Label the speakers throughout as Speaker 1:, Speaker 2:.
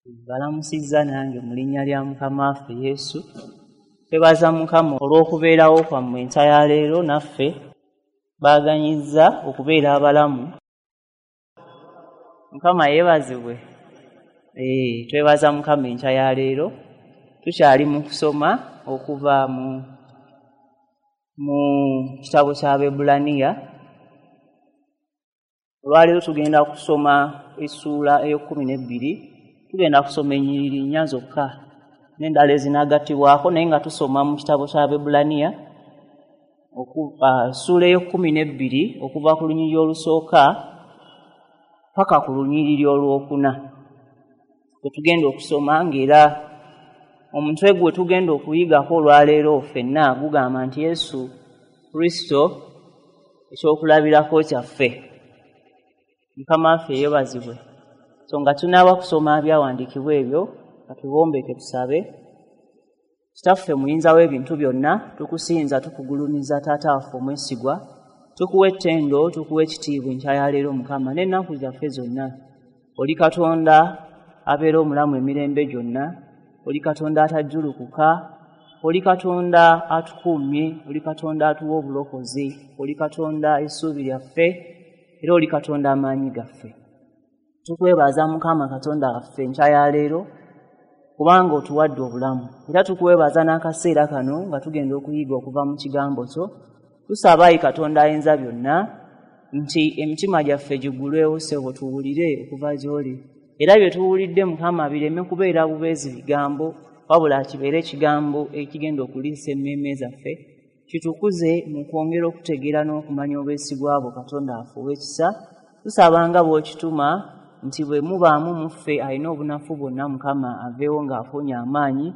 Speaker 1: Mbalamusizza nange mu linnya lya Mukama waffe Yesu. Twebaza Mukama olw'okubeerawo kwammwe enkya ya leero naffe baaganyizza okubeera abalamu. Mukama yeebazibwe. Twebaza Mukama enkya ya leero. Tukyali mu kusoma okuva mu kitabo ky'Abaebbulaniya. Olwaleero tugenda kusoma essuula ey'ekkumi n'ebbiri. Tugenda kusoma ennyiriri nnya zokka n'endala ezinaagattibwako, naye nga tusoma mu kitabo ky'Abaebbulaniya essuula ey'ekkumi n'ebbiri, okuva ku lunyiriri olusooka paka ku lunyiriri olwokuna kwe tugenda okusoma. Ng'era omutwe gwe tugenda okuyigako olwaleero ffenna gugamba nti Yesu Kristo ekyokulabirako kyaffe. Mukama waffe yeebazibwe. So nga tunaaba kusoma byawandiikibwa ebyo, katubombeke tusabe. Kitaffe muyinza w'ebintu byonna, tukusinza, tukugulumiza. Taata waffe omwesigwa, tukuwa ettendo, tukuwa ekitiibwa enkya ya leero, Mukama, n'ennaku zaffe zonna. Oli Katonda abeera omulamu emirembe gyonna, oli Katonda atajjulukuka, oli Katonda atukuumye, oli Katonda atuwa obulokozi, oli Katonda essuubi lyaffe, era oli Katonda amaanyi gaffe. Tukwebaza, Mukama Katonda waffe, enkya ya leero kubanga otuwadde obulamu, era tukwebaza n'akaseera kano nga tugenda okuyiga okuva mu kigambo kyo. Tusaba, ayi Katonda ayinza byonna, nti emitima gyaffe giggulwewo, ssebo, tuwulire okuva gy'oli, era bye tuwulidde, Mukama, bireme kubeera bubeezi bigambo, wabula kibeere ekigambo ekigenda okuliisa emmeeme zaffe, kitukuze mu kwongera okutegeera n'okumanya obwesigwa bwo, Katonda waffe ow'ekisa. Tusaba nga bw'okituma nti bwe mubaamu mu ffe alina obunafu bwonna, Mukama, aveewo ng'afunye amaanyi,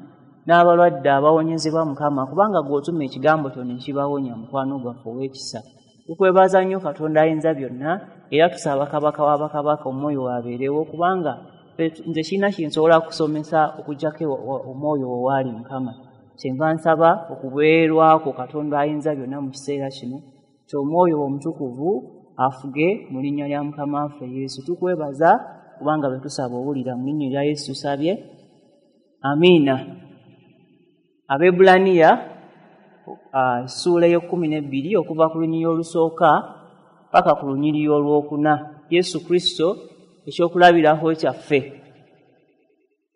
Speaker 1: n'abalwadde abawonyezebwa, Mukama, kubanga gw'otuma ekigambo kyo ne kibawonya. Mukwano gwaffe ow'ekisa, tukwebaza nnyo, Katonda ayinza byonna, era tusaba Kabaka w'abakabaka omwoyo waabeerewo, kubanga nze kirina kinsobola kusomesa okuggyako omwoyo wo waali, Mukama. Kyenva nsaba okubeerwako, Katonda ayinza byonna, mu kiseera kino ky'omwoyo omutukuvu afuge, mu linnya lya Mukama waffe Yesu. Tukwebaza kubanga bwe tusaba owulira. Mu linnya lya Yesu tusabye, amiina. Abaebbulaniya essuula ey'ekkumi n'ebbiri, okuva ku lunyiriri olusooka paka ku lunyiriri olwokuna. Yesu Kristo ekyokulabirako kyaffe.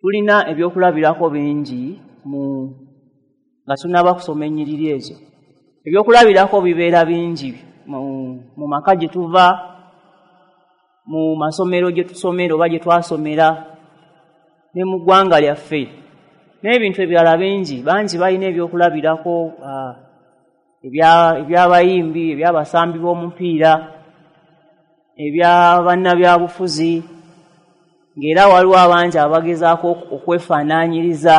Speaker 1: Tulina ebyokulabirako bingi mu nga tunaba kusoma ennyiriri ezo. Ebyokulabirako bibeera bingi mu maka gye tuva, mu masomero gye tusomera oba gye twasomera, ne mu ggwanga lyaffe, n'ebintu ebirala bingi. Bangi balina ebyokulabirako ebyabayimbi, ebyabasambi b'omupiira, ebyabannabyabufuzi, ng'era waliwo abangi abagezaako okwefaanaanyiriza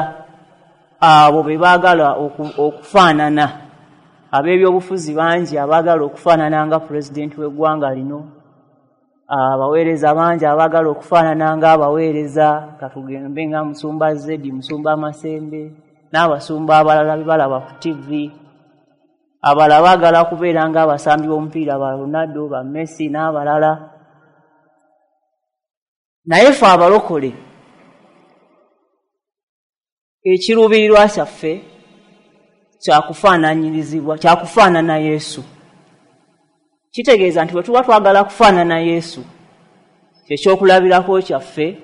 Speaker 1: abo be baagala okufaanana. Ab'ebyobufuzi bangi abaagala okufaanana nga pulezidenti w'eggwanga lino, abaweereza bangi abaagala okufaanana ng'abaweereza, katugambe nga Musumba Zedi, Musumba Masembe n'abasumba abalala be balaba ku TV. Abalala baagala kubeera ng'abasambi b'omupiira, ba Ronaldo, ba Messi n'abalala. Naye ffe abalokole, ekiruubirirwa kyaffe kyakufaananyirizibwa, kyakufaanana Yesu. Kitegeeza nti bwe tuba twagala kufaanana Yesu, kyekyokulabirako kyaffe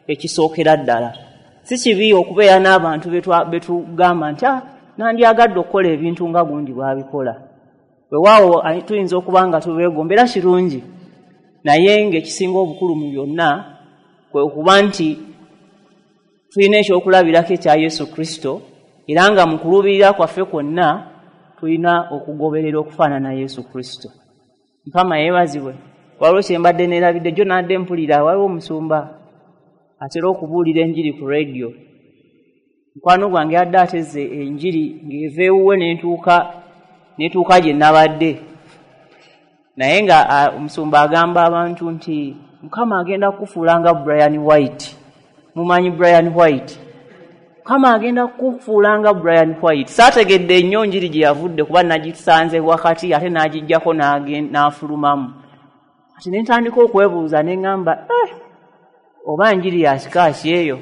Speaker 1: ekisookera ddala. Si kibi okubeera n'abantu be tugamba nti, "Ah, nandyagadde okukola ebintu nga gundi bw'abikola." Weewaawo tuyinza okuba nga tubeegomba, era kirungi, naye ng'ekisinga obukulu mu byonna kwe kuba nti tulina ekyokulabirako ekya Yesu Kristo, era nga mu kuluubirira kwaffe kwonna tulina okugoberera okufaanana Yesu Kristo. Mukama yeebazibwe. Waliwo kye mbadde neerabidde jjo, nadde mpulira waliwo omusumba atera okubuulira enjiri ku rediyo. Mukwano gwange yadde ateze enjiri ng'eva ewuwe n'entuuka gye nabadde, naye nga omusumba agamba abantu nti Mukama agenda kukufuula nga Brian White. Mumanyi Brian White? Mukama agenda kukufuula nga Brian White. Saategedde nnyo njiri gye yavudde, kuba nagisanze wakati ate n'agijjako n'afulumamu. Ati ne ntandika okwebuuza ne ŋŋamba, "Eh, oba njiri ya kika ki eyo?"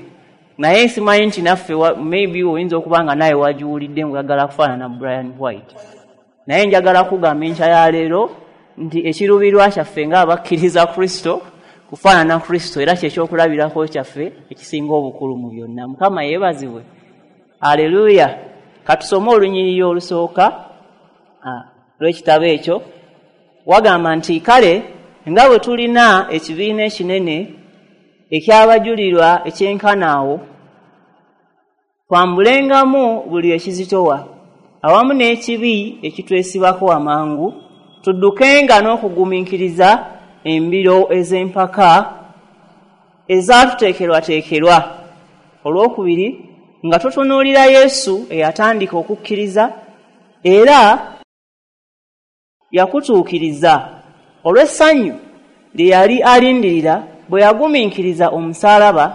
Speaker 1: Naye simanyi nti naffe maybe oyinza okuba nga naye wagiwulidde ng'oyagala kufaanana Brian White. Naye njagala kugamba enkya ya leero nti ekiruubirirwa kyaffe ng'abakkiriza Kristo kufaanana Kristo, era kyekyokulabirako kyaffe ekisinga obukulu mu byonna. Mukama yeebazibwe. Aleluya. Katusome olunyiriri olusooka lw'ekitabo ekyo. Wagamba nti kale nga bwe tulina ekibiina ekinene eky'abajulirwa ekyenkanaawo, twambulengamu buli ekizitowa awamu n'ekibi ekitwesibako amangu, tuddukenga n'okugumiikiriza embiro ez'empaka ezaatuteekerwateekerwa. Olwokubiri, nga tutunuulira Yesu eyatandika okukkiriza era yakutuukiriza olw'essanyu lye yali alindirira bwe yagumiikiriza omusaalaba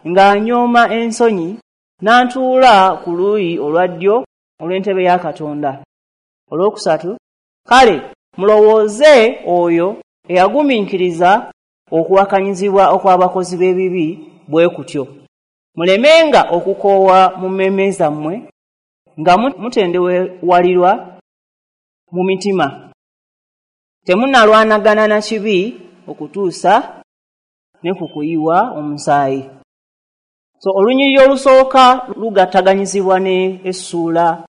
Speaker 1: ng'anyooma ensonyi, n'antuula ku luuyi olwa ddyo olw'entebe ya Katonda. Olwokusatu, kale mulowooze oyo eyagumiikiriza okuwakanyizibwa okw'abakozi b'ebibi bwe kutyo, mulemenga okukoowa mu mmeeme zammwe nga mutendewalirwa mu mitima. Temunnalwanagana na kibi okutuusa ne ku kuyiwa omusaayi. So olunyiriri olusooka lugattaganyizibwa ne essuula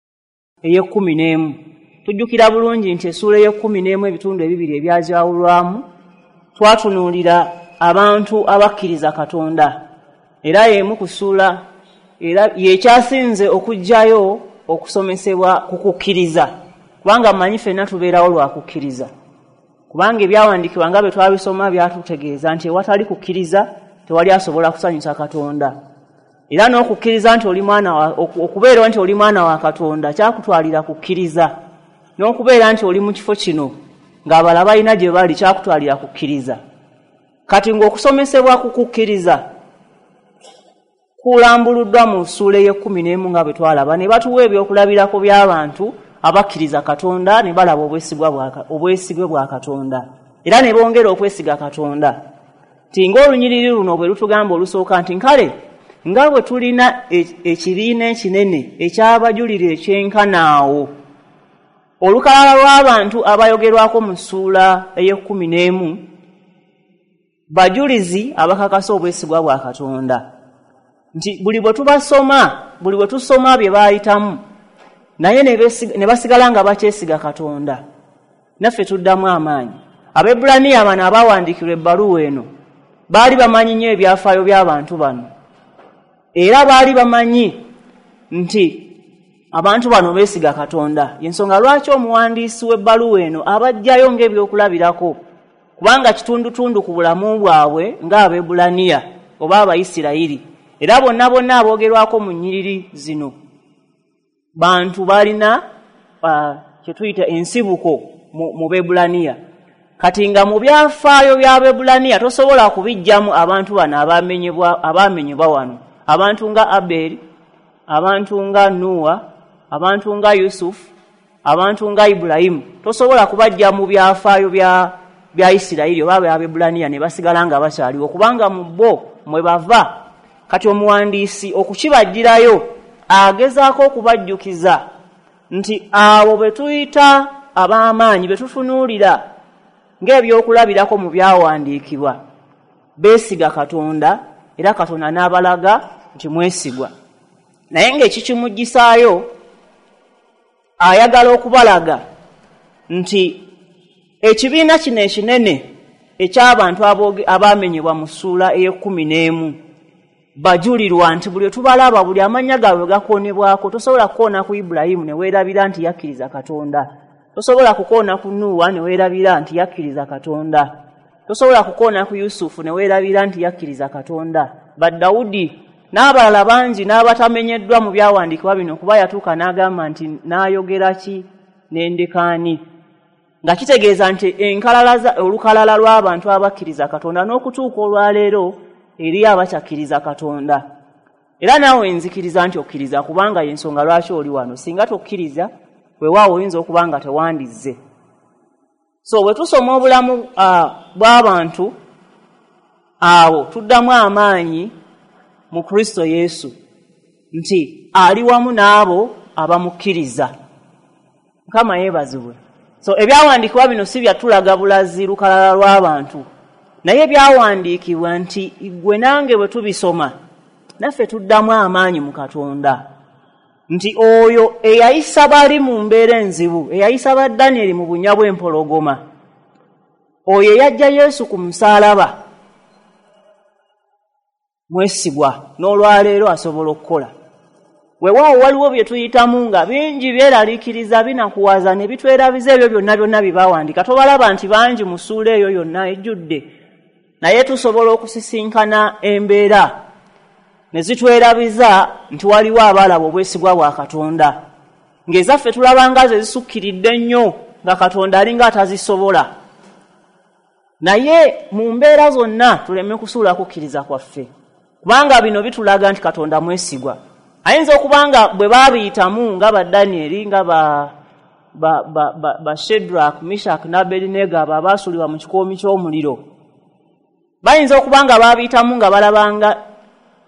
Speaker 1: ey'ekkumi n'emu. Tujjukira bulungi nti essuula ey'ekkumi n'emu, ebitundu ebibiri ebyajawulwamu, twatunuulira abantu abakkiriza Katonda, era y'emu ku ssuula era yekyasinze okuggyayo okusomesebwa ku kukkiriza, kubanga mmanyi ffenna tubeerawo lwa kukkiriza, kubanga ebyawandiikibwa nga bwe twabisoma byatutegeeza nti ewatali kukkiriza tewali asobola kusanyusa Katonda. Era n'okukkiriza nti oli mwana, okubeera nti oli mwana wa Katonda kyakutwalira kukkiriza, n'okubeera nti oli mu kifo kino ng'abalala balina gye bali kyakutwalira kukkiriza. Kati ng'okusomesebwa ku kukkiriza kulambuluddwa mu ssuula ey'ekkumi n'emu nga bwe twalaba, ne batuwa ebyokulabirako by'abantu abakkiriza Katonda ne balaba obwesigwe bwa Katonda, era ne bongera okwesiga Katonda. Nti ng'olunyiriri luno bwe lutugamba olusooka nti nkale nga bwe tulina ekibiina ekinene eky'abajulira ekyenkanaawo, olukalala lw'abantu abayogerwako mu ssuula ey'ekkumi n'emu bajulizi abakakasa obwesigwa bwa Katonda, nti buli bwe tubasoma, buli bwe tusoma bye baayitamu, naye ne basigala nga bakyesiga Katonda, naffe tuddamu amaanyi. Abaebbulaniya bano abawandiikirwa ebbaluwa eno baali bamanyi nnyo ebyafaayo by'abantu bano, era baali bamanyi nti abantu bano beesiga Katonda. Yensonga lwaki omuwandiisi w'ebbaluwa eno abajjayo ng'ebyokulabirako, kubanga kitundutundu ku bulamu bwabwe ng'Abaebbulaniya oba Abayisirayiri. Era bonna bonna aboogerwako mu nnyiriri zino bantu balina kye tuyita ensibuko mu Bebbulaniya. Kati nga mu byafaayo by'Abebbulaniya tosobola kubijjamu abantu bano abamenyebwa wano, abantu nga Aberi, abantu nga Nuwa, abantu nga Yusufu, abantu nga Ibulayimu, tosobola kubajja mu byafaayo bya Isirayiri oba by'Abebbulaniya ne basigala nga bakyaliwo, kubanga mu bo mwe bava. Kati omuwandiisi okukibajjirayo agezaako okubajjukiza nti abo be tuyita ab'amaanyi, be tutunuulira ng'ebyokulabirako mu byawandiikibwa, beesiga Katonda, era Katonda n'abalaga nti mwesigwa. Naye ng'ekikimuggisaayo ayagala okubalaga nti ekibiina kino ekinene eky'abantu abamenyebwa mu ssuula ey'ekkumi n'emu bajulirwa, nti buli tubalaba, buli amannya gaabwe gakoonebwako, tosobola kukoona ku Ibulayimu ne weerabira nti yakkiriza Katonda, tosobola kukoona ku Nuuwa ne weerabira nti yakkiriza Katonda, tosobola kukoona ku Yusufu ne weerabira nti yakkiriza Katonda, Badawudi n'abalala bangi n'abatamenyeddwa mu byawandiikibwa bino, kuba yatuuka n'agamba nti n'ayogera ki n'endekaani, nga kitegeeza nti olukalala lw'abantu abakkiriza Katonda n'okutuuka olwaleero eri abakyakkiriza Katonda. Era naawe nzikiriza nti okkiriza, kubanga yensonga lwaki oli wano. Singa tokkiriza, weewaawo oyinza okuba nga tewandizze. So bwe tusoma obulamu bw'abantu abo tuddamu amaanyi. mu Kristo Yesu nti ali wamu n'abo abamukkiriza. Mukama yeebazibwe. So ebyawandiikibwa bino si byatulaga bulazi lukalala lw'abantu, naye byawandiikibwa nti ggwe nange bwe tubisoma naffe tuddamu amaanyi mu Katonda, nti oyo eyayisa bali mu mbeera enzibu, eyayisa ba Danyeri mu bunnya bw'empologoma, oyo eyajja Yesu ku musaalaba mwesigwa, n'olwaleero asobola okukola. Weewaawo waliwo bye tuyitamu nga bingi byeraliikiriza, binakuwaza ne bitwerabiza ebyo byonna byonna bye baawandiika. Tobalaba nti bangi mu ssuula eyo yonna ejjudde, naye tusobola okusisinkana embeera ne zitwerabiza nti waliwo abaalaba obwesigwa bwa Katonda, ng'ezaffe tulaba nga ze zisukkiridde nnyo, nga Katonda alinga atazisobola. Naye mu mbeera zonna tuleme kusuula kukkiriza kwaffe, kubanga bino bitulaga nti Katonda mwesigwa. Ayinza okuba nga bwe baabiyitamu nga ba Danyeri, nga ba Shadrach, Meshach ne Abednego abo abaasuulibwa mu kikoomi ky'omuliro, bayinza okuba nga baabiyitamu nga balabanga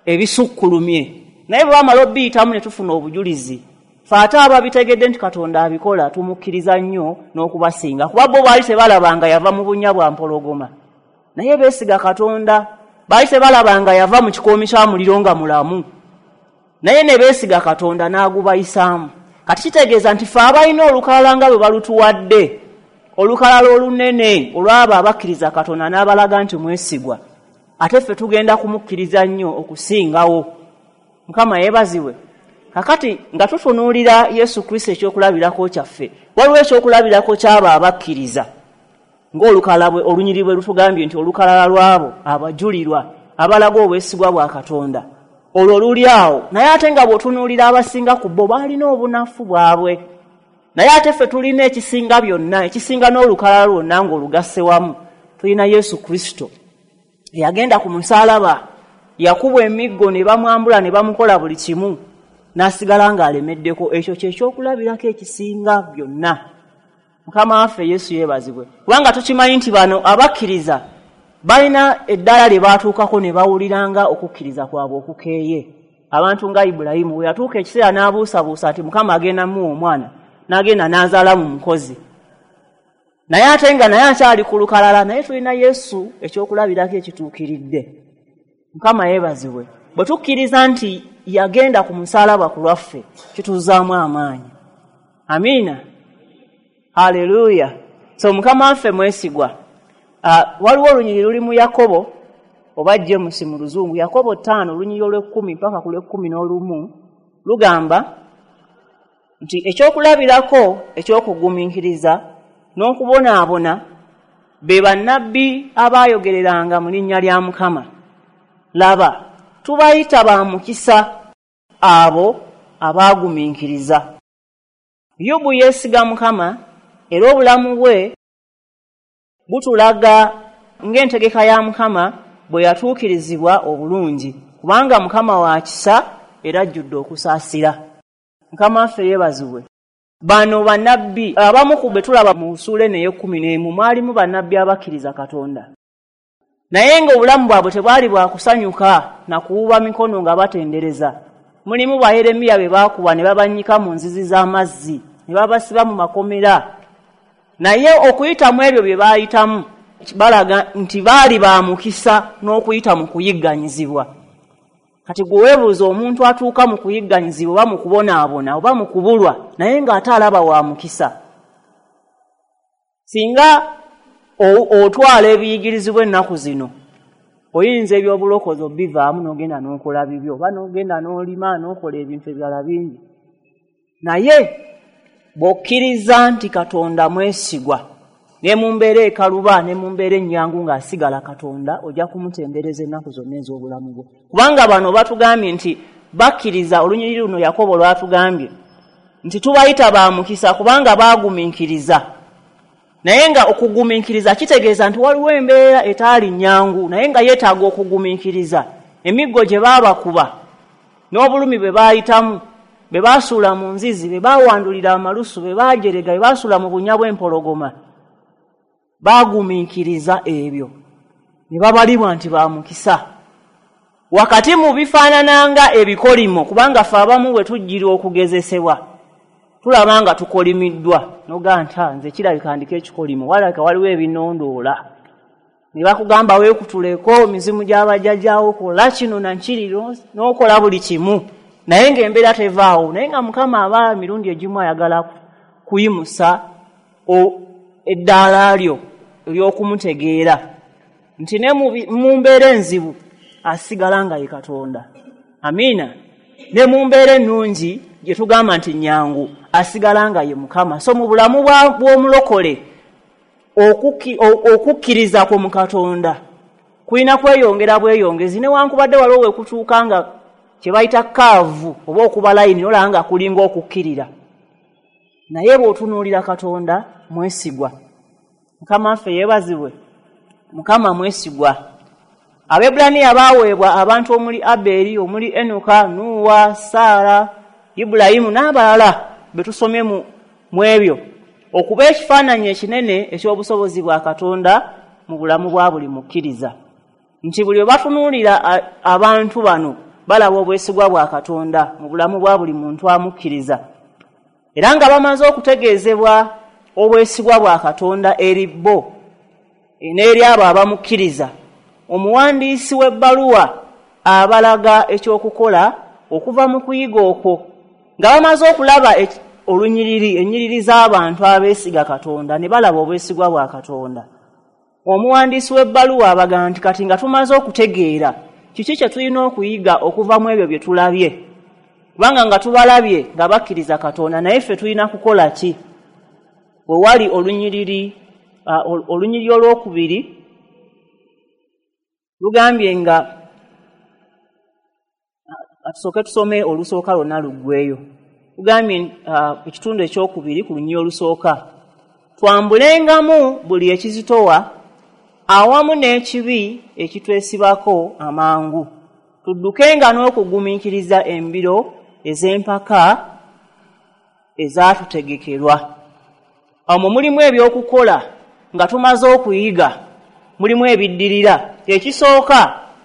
Speaker 1: ebisukkulumye, naye bwe bamala obiyitamu ne tufuna obujulizi. Ffe ate ababitegedde nti Katonda abikola tumukkiriza nnyo n'okubasinga, kuba bo baali tebalabanga yava mu bunnya bwa mpologoma, naye beesiga Katonda. Baali tebalabanga yava mu kikoomi kya muliro nga mulamu, naye ne beesiga Katonda n'agubayisaamu. Kati kitegeeza nti ffe abalina olukalala nga bwe balutuwadde, olukalala olunene olw'abo abakkiriza Katonda n'abalaga nti mwesigwa, ate ffe tugenda kumukkiriza nnyo okusingawo. Mukama yeebazibwe. Kakati nga tutunuulira Yesu Kristo ekyokulabirako kyaffe, waliwo ekyokulabirako ky'abo abakkiriza ng'olukalala olunyiriri bwe lutugambye nti olukalala lw'abo abajulirwa abalaga obwesigwa bwa Katonda, olwo luli awo. Naye ate nga bw'otunuulira abasinga ku bo baalina obunafu bwabwe, naye ate ffe tulina ekisinga byonna, ekisinga n'olukalala lwonna ng'olugasse wamu. Tulina Yesu Kristo eyagenda ku musaalaba, yakubwa emiggo ne bamwambula ne bamukola buli kimu, n'asigala ng'alemeddeko. Ekyo kye kyokulabirako ekisinga byonna. Mukama waffe Yesu yeebazibwe, kubanga tukimanyi nti bano abakkiriza balina eddaala lye baatuukako ne bawuliranga okukkiriza kwabwe okukeeye. Abantu nga Ibulayimu bwe yatuuka ekiseera n'abuusabuusa nti Mukama agenda muwa omwana, n'agenda n'azaala mu mukozi, naye ate nga naye akyali ku lukalala. Naye tulina Yesu ekyokulabirako ekituukiridde. Mukama yeebazibwe. Bwe tukkiriza nti yagenda ku musaalaba ku lwaffe, kituzzaamu amaanyi. Amiina, haleluya. So Mukama waffe mwesigwa. Waliwo olunyiriri luli mu Yakobo oba James mu Luzungu, Yakobo 5 olunyiriri olw'ekumi mpaka ku lw'ekumi n'olumu, lugamba nti ekyokulabirako ekyokugumiikiriza n'okubonaabona be bannabbi abaayogereranga mu linnya lya Mukama. Laba, tubayita ba mukisa abo abaagumiikiriza. Yobu yeesiga Mukama, era obulamu bwe butulaga ng'entegeka ya Mukama bwe yatuukirizibwa obulungi, kubanga Mukama wa kisa era ajjudde okusaasira. Mukama waffe yeebazibwe. Bano bannabbi abamu ku be tulaba mu ssuula eno ey'ekkumi n'emu, mwalimu bannabbi abakkiriza Katonda, naye ng'obulamu bwabwe tebwali bwa kusanyuka na kuwuba mikono nga batendereza. Mulimu ba Yeremiya be baakuba ne babannyika mu nzizi z'amazzi, ne babasiba mu makomera, naye okuyita mu ebyo bye baayitamu balaga nti baali ba mukisa n'okuyita mu kuyigganyizibwa. Kati gwe weebuuza omuntu atuuka mu kuyigganyizibwa oba mu kubonaabona oba mu kubulwa, naye ng'ate alaba wa mukisa. Singa otwala ebiyigirizibwa ennaku zino, oyinza ebyobulokozi obivaamu n'ogenda n'okola bibyo, oba n'ogenda n'olima n'okola ebintu ebirala bingi. Naye bw'okkiriza nti Katonda mwesigwa, ne mu mbeera ekaluba ne mu mbeera ennyangu ng'asigala Katonda, ojja kumutendereza ennaku zonna ez'obulamu bwo. Kubanga bano batugambye nti bakkiriza, olunyiriri luno Yakobo lwatugambye nti tubayita ba mukisa kubanga baagumiikiriza. Naye nga okugumiikiriza kitegeeza nti waliwo embeera etaali nnyangu, naye nga yeetaaga okugumiikiriza. Emiggo gye baabakuba n'obulumi bwe baayitamu, be baasuula mu nzizi, be baawandulira amalusu, be baajerega, be baasuula mu bunnya bw'empologoma, baagumiikiriza ebyo ne babalibwa nti ba mukisa. Wakati mu bifaanananga ebikolimo, kubanga ffe abamu bwe tujjira okugezesebwa tulaba nga tukolimiddwa, nogaa nti nze kirabika ndiko ekikolimo, walabika waliwo ebinondoola, ne bakugamba weekutuleko mizimu gy'abajjajjaawo, kola kino nakiri, n'okola buli kimu, naye ng'embeera tevaawo. Naye nga Mukama aba emirundi egimu ayagala kuyimusa eddaala lyo ery'okumutegeera nti ne mu mbeera enzibu asigala nga ye Katonda. Amiina. Ne mu mbeera ennungi gye tugamba nti nyangu, asigala nga ye Mukama. So mu bulamu bw'omulokole okukkiriza kwo mu Katonda kulina kweyongera bweyongezi, newankubadde waliwo we kutuuka nga kye bayita kaavu oba okuba layini, olaba nga kulinga okukkirira, naye bw'otunuulira Katonda mwesigwa. Mukama waffe yeebazibwe. Mukama mwesigwa. Abebbulaniya baaweebwa abantu omuli Aberi, omuli Enoka, Nuuwa, Saara, Ibulayimu n'abalala be tusomye mu ebyo, okuba ekifaananyi ekinene eky'obusobozi bwa Katonda mu bulamu bwa buli mukkiriza, nti buli we batunuulira abantu bano balaba obwesigwa bwa Katonda mu bulamu bwa buli muntu amukkiriza, era nga bamaze okutegeezebwa obwesigwa bwa Katonda eri bo n'eri abo abamukkiriza. Omuwandiisi w'ebbaluwa abalaga ekyokukola okuva mu kuyiga okwo, nga bamaze okulaba olunyiriri, ennyiriri z'abantu abeesiga Katonda ne balaba obwesigwa bwa Katonda. Omuwandiisi w'ebbaluwa abagamba nti kati nga tumaze okutegeera kiki kye tulina okuyiga okuva mu ebyo bye tulabye, kubanga nga tubalabye nga bakkiriza Katonda, naye ffe tulina kukola ki? We wali olunyiriri olwokubiri lugambye nga tusooke tusome olusooka lwonna luggweyo. Lugambye ekitundu ekyokubiri ku lunyiriri olusooka, twambulengamu buli ekizitowa awamu n'ekibi ekitwesibako amangu, tuddukenga n'okugumiikiriza embiro ez'empaka ezaatutegekerwa. Omwo mulimu ebyokukola nga tumaze okuyiga, mulimu ebiddirira. Ekisooka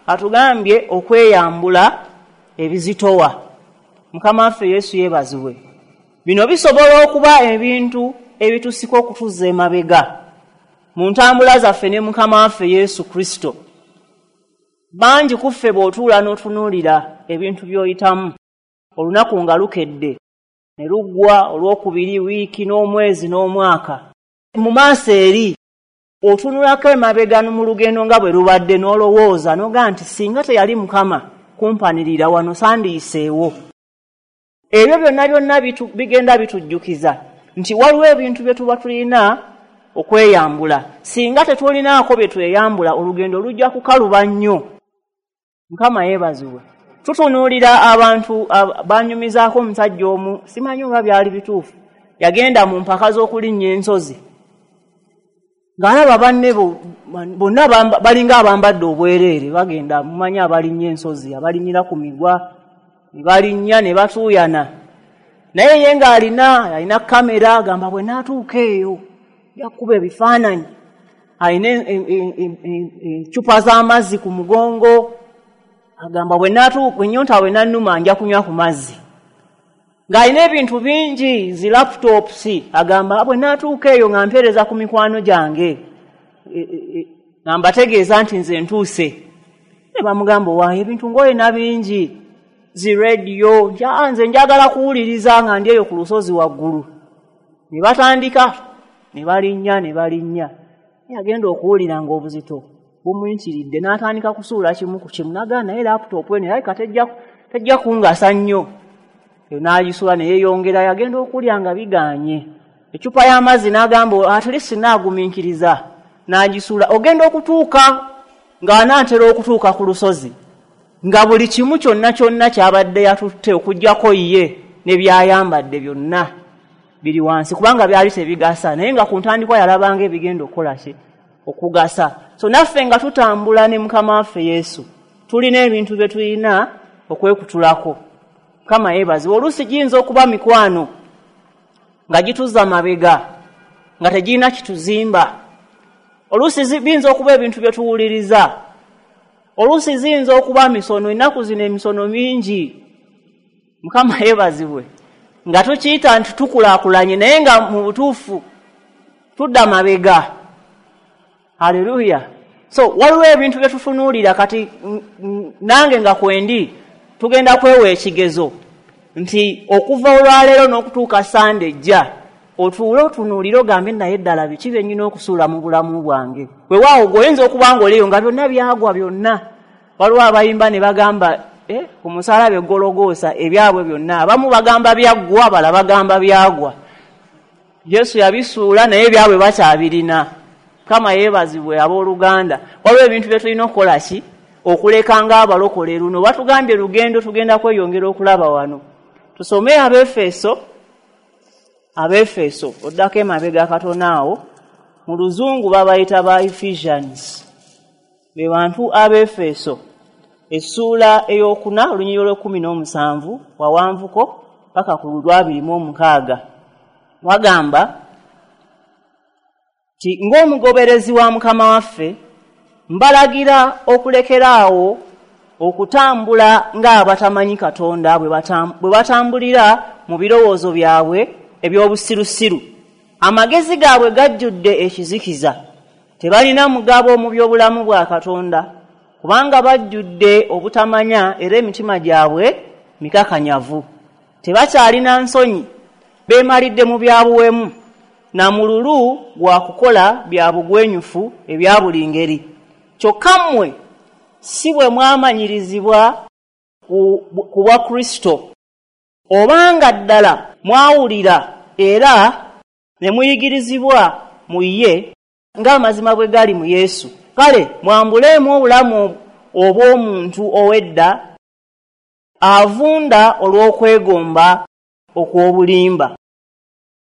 Speaker 1: atugambye okweyambula ebizitowa. Mukama waffe Yesu yeebazibwe. Bino bisobola okuba ebintu ebitusika okutuzza emabega mu ntambula zaffe ne Mukama waffe Yesu Kristo. Bangi ku ffe bw'otuula n'otunuulira ebintu by'oyitamu, olunaku nga lukedde ne luggwa, olwokubiri, wiiki n'omwezi n'omwaka, mu maaso eri otunulako emabega mu lugendo nga bwe lubadde, n'olowooza n'ogaa nti singa teyali Mukama kumpanirira wano sandiyiseewo. Ebyo byonna byonna bigenda bitujjukiza nti waliwo ebintu bye tuba tulina okweyambula. Singa tetulinaako bye tweyambula, olugendo lujja kukaluba nnyo. Mukama yeebazibwe. Tutunuulira abantu banyumizaako omusajja omu, simanyi oba byali bituufu, yagenda mu mpaka z'okulinnya ensozi ng'alaba banne bonna balinga abambadde obwereere, bagenda mumanyi abalinnya ensozi, abalinnyira ku migwa, ne balinnya ne batuuyana, naye ye ng'alina kamera, agamba bwe naatuuka eyo nja kukuba ebifaananyi. Alina eccupa z'amazzi ku mugongo, agamba bwe naatuuka ennyonta bwe nannuma nja kunywa ku mazzi. Ng'alina ebintu bingi, zi laptops, agamba bwe naatuuka eyo nga mpeereza ku mikwano gyange, nga mbategeeza nti nze ntuuse. Ne bamugamba owaayo ebintu ng'olina bingi, zi rediyo, nze njagala kuwuliriza nga ndi eyo ku lusozi waggulu. Ne batandika ne balinnya ne balinnya, agenda okuwulira ng'obuzito bumuyitiridde, n'atandika kusuula kimu ku kimu, n'agamba naye laptop eno erabika tejja kungasa nnyo. N'agisuula ne yeeyongera, yagenda okulya nga bigaanye. Eccupa y'amazzi n'agamba at least naagumiikiriza, n'agisuula. Ogenda okutuuka ng'anaatera okutuuka ku lusozi, nga buli kimu kyonna kyonna ky'abadde yatutte okuggyako ye ne by'ayambadde byonna biri wansi, kubanga byali tebigasa, naye nga ku ntandikwa yalabanga ebigenda okukola ki? Okugasa. So naffe nga tutambula ne Mukama waffe Yesu, tulina ebintu bye tulina okwekutulako. Mukama yeebazibwe. Oluusi giyinza okuba mikwano nga gituzza mabega, nga tegirina kituzimba. Oluusi biyinza okuba ebintu bye tuwuliriza Oluusi ziyinza okuba misono, ennaku zino emisono mingi, Mukama yeebazibwe, nga tukiyita nti tukulaakulanye, naye nga mu butuufu tudda mabega. Haleluya. So waliwo ebintu bye tutunuulira kati, nange nga kwendi tugenda kwewa ekigezo nti okuva olwaleero n'okutuuka Sande ejja, otuule otunuulire ogambe, naye ddala biki bye nnina okusuula mu bulamu bwange? Weewaawo gwe oyinza okuba ng'oliyo nga byonna byagwa byonna. Waliwo abayimba ne bagamba ku musalaba eggologoosa ebyabwe byonna. Abamu bagamba byaggwa, abalala bagamba byagwa. Yesu yabisuula, naye ebyabwe bakyabirina. Mukama yeebazibwe. Abooluganda, waliwo ebintu bye tulina okukola ki? Okuleka ng'abalokole. Luno batugambye lugendo, tugenda kweyongera okulaba wano. Tusome Abeefeso, Abeefeso, oddako emabega katono awo. Mu Luzungu babayita ba Ephesians, be bantu Abeefeso, essuula 4, olunyiriri olw'17 wawanvuko paka ku lw'26. Wagamba nti, "Ng'omugoberezi wa Mukama waffe, mbalagira okulekeraawo okutambula ng'abatamanyi Katonda bwe batambulira mu birowoozo byabwe eby'obusirusiru. Amagezi gaabwe gajjudde ekizikiza, tebalina mugabo mu by'obulamu bwa Katonda, kubanga bajjudde obutamanya era emitima gyabwe mikakanyavu. Tebakyalina nsonyi, beemalidde mu bya buwemu na mululu gwa kukola bya bugwenyufu ebya buli ngeri. Kyokka mmwe si bwe mwamanyirizibwa ku bwa Kristo. Obanga ddala mwawulira era ne muyigirizibwa mu ye, ng'amazima bwe gali mu Yesu, kale mwambuleemu obulamu obw'omuntu ow'edda avunda olw'okwegomba okw'obulimba."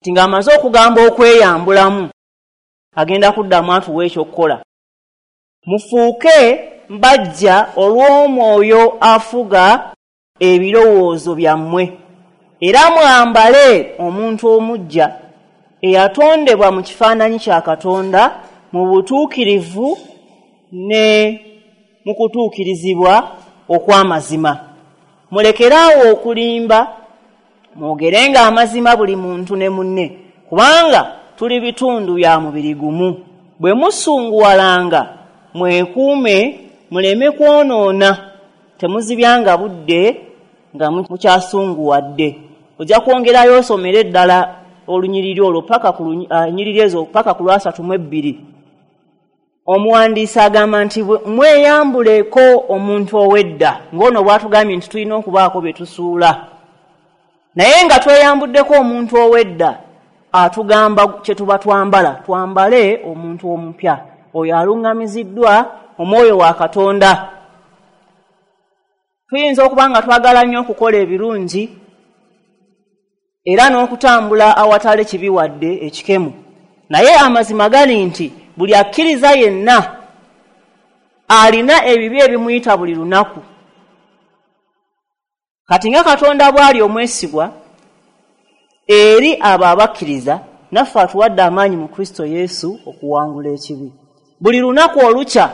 Speaker 1: Nti ng'amaze okugamba okweyambulamu, agenda kuddamu atuwa ekyokukola. "Mufuuke mbajja olw'omwoyo afuga ebirowoozo byammwe, era mwambale omuntu omuggya eyatondebwa mu kifaananyi kya Katonda mu butuukirivu ne mu kutuukirizibwa okw'amazima. Mulekeraawo okulimba, mwogerenga amazima buli muntu ne munne, kubanga tuli bitundu bya mubiri gumu. Bwe musunguwalanga, mwekuume muleme kwonoona, temuzibyanga budde nga mukyasunguwadde." Ojja kwongerayo osomere ddala olunyiriri olwo paka ku nyiriri ezo paka ku lw'32. Omuwandiisi agamba nti mweyambuleko omuntu ow'edda, ng'ono bw'atugambye nti tulina okubaako bye tusuula. Naye nga tweyambuddeko omuntu ow'edda, atugamba kye tuba twambala, twambale omuntu omupya, oyo aluŋŋamiziddwa omwoyo wa Katonda. Tuyinza okuba nga twagala nnyo okukola ebirungi era n'okutambula awatali kibi wadde ekikemu, naye amazima gali nti buli akkiriza yenna alina ebibi ebimuyita buli lunaku. Kati nga Katonda bw'ali omwesigwa eri abo abakkiriza, naffe atuwadde amaanyi mu Kristo Yesu okuwangula ekibi. Buli lunaku olukya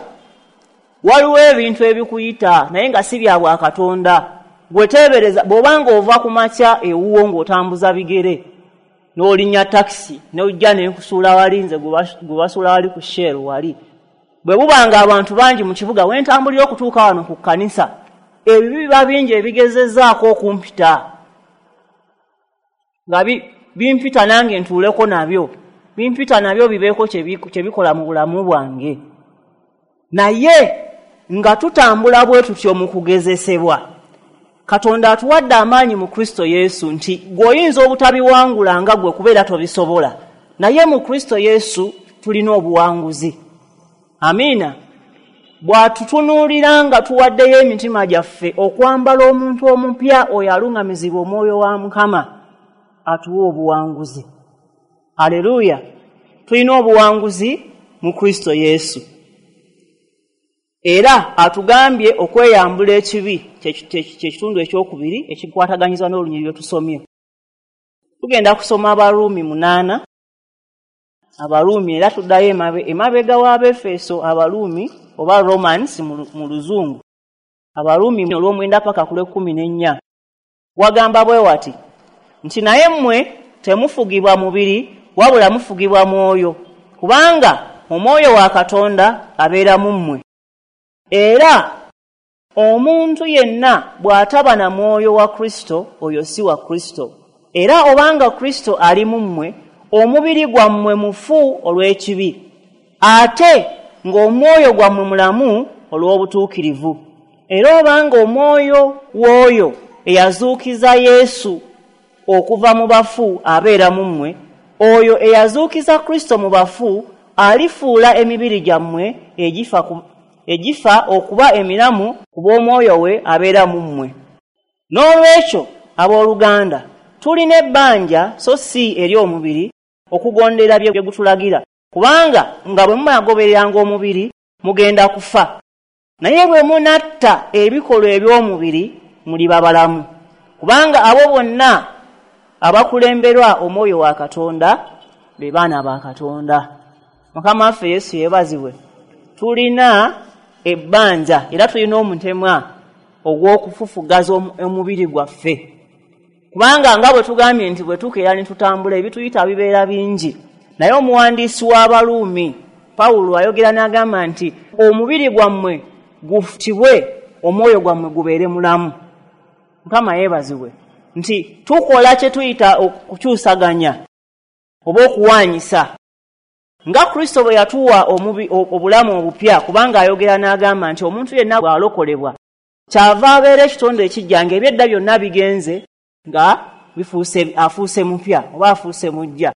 Speaker 1: waliwo ebintu ebikuyita, naye nga si bya bwakatonda. Gweteebereza bw'obanga ova ku makya ewuwo ng'otambuza bigere, n'olinnya takisi, n'ojja nenkusuula wali, nze gwe basuula wali ku Shell wali. Bwe bubanga abantu bangi mu kibuga, wentambulira okutuuka wano ku kkanisa, ebibi biba bingi ebigezezzaako okumpita, nga bimpita nange ntuuleko nabyo, bimpita nabyo bibeeko kye bikola mu bulamu bwange. Naye nga tutambula bwe tutyo mu kugezesebwa, Katonda atuwadde amaanyi mu Kristo Yesu nti gw'oyinza obutabiwangula nga gwe kubeera tobisobola, naye mu Kristo Yesu tulina obuwanguzi. Amiina. Bw'atutunuulira nga tuwaddeyo emitima gyaffe okwambala omuntu omupya, oyo aluŋŋamizibwa omwoyo wa Mukama, atuwa obuwanguzi. Aleluya! Tulina obuwanguzi mu Kristo Yesu. Era atugambye okweyambula ekibi, kyekitundu ekyokubiri ekikwataganyiza n'olunyiriri lwe tusomye. Tugenda kusoma Abaruumi 8. Abaruumi, era tuddayo emabega w'Abefeso. Abaruumi oba Romans mu Luzungu, Abaruumi olw'omwenda paka ku lw'ekkumi n'ennya, wagamba bwe wati nti, "Naye mmwe temufugibwa mubiri, wabula mufugibwa mwoyo, kubanga Omwoyo wa Katonda abeera mu mmwe. Era omuntu yenna bw'ataba na Mwoyo wa Kristo, oyo si wa Kristo. Era obanga Kristo ali mu mmwe, omubiri gwammwe mufu olw'ekibi, ate ng'omwoyo gwammwe mulamu olw'obutuukirivu. Era obanga Omwoyo w'oyo eyazuukiza Yesu okuva mu bafu abeera mu mmwe, oyo eyazuukiza Kristo mu bafu alifuula emibiri gyammwe egifa okuba emiramu ku bw'Omwoyo we abeera mu mmwe. N'olwekyo, abooluganda, tulina ebbanja, so si eri omubiri, okugondera bye gutulagira. Kubanga nga bwe munagobereranga omubiri, mugenda kufa, naye bwe munatta ebikolwa eby'omubiri, muliba balamu. Kubanga abo bonna abakulemberwa Omwoyo wa Katonda be baana ba Katonda." Mukama waffe Yesu yeebazibwe. Tulina ebbanja era tulina omutemwa ogw'okufufugaza omubiri gwaffe, kubanga nga bwe tugambye nti bwe tukeera ne tutambula, ebituyita bibeera bingi. Naye omuwandiisi w'Abaluumi Pawulo ayogera n'agamba nti omubiri gwammwe gufutibwe, omwoyo gwammwe gubeere mulamu. Mukama yeebazibwe nti tukola kye tuyita okukyusaganya oba okuwaanyisa, nga Kristo bwe yatuwa obulamu obupya, kubanga ayogera n'agamba nti omuntu yenna bw'alokolebwa, kyava abeera ekitonde ekijja, ng'ebyedda byonna bigenze, nga afuuse mupya oba afuuse mujja.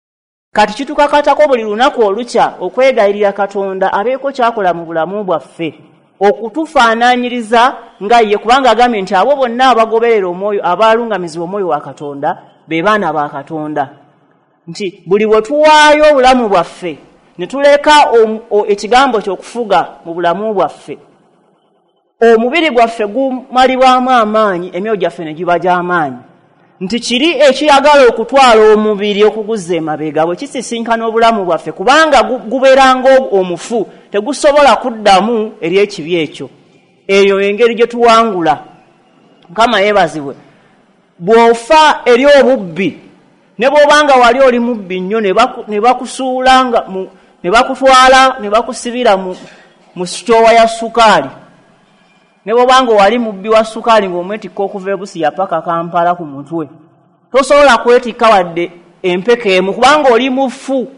Speaker 1: Kati kitukakatako buli lunaku olukya okwegayirira Katonda abeeko kyakola mu bulamu bwaffe okutufaananyiriza nga ye, kubanga agambye nti abo bonna abagoberera Omwoyo, abalungamizibwa Omwoyo wa Katonda, be baana ba Katonda. Nti buli bwe tuwaayo obulamu bwaffe ne tuleka ekigambo ky'okufuga mu bulamu bwaffe, omubiri gwaffe gumalibwamu amaanyi, emyoyo gyaffe ne giba gy'amaanyi. Nti kiri ekiyagala okutwala omubiri okuguzza emabega bwe kisisinkana obulamu bwaffe, kubanga gubeera ng'omufu, tegusobola kuddamu eri ekibi ekyo. Eyo engeri gye tuwangula. Mukama yeebazibwe. Bw'ofa eri obubbi, ne bw'obanga wali oli mubbi nnyo, ne bakusuula nga ne bakutwala ne bakusibira mu sitoowa ya sukaali, ne bw'obanga wali mubbi wa sukaali ng'omwetikka okuva e Busiya paka Kampala ku mutwe, tosobola kwetikka wadde empeka emu, kubanga oli mufu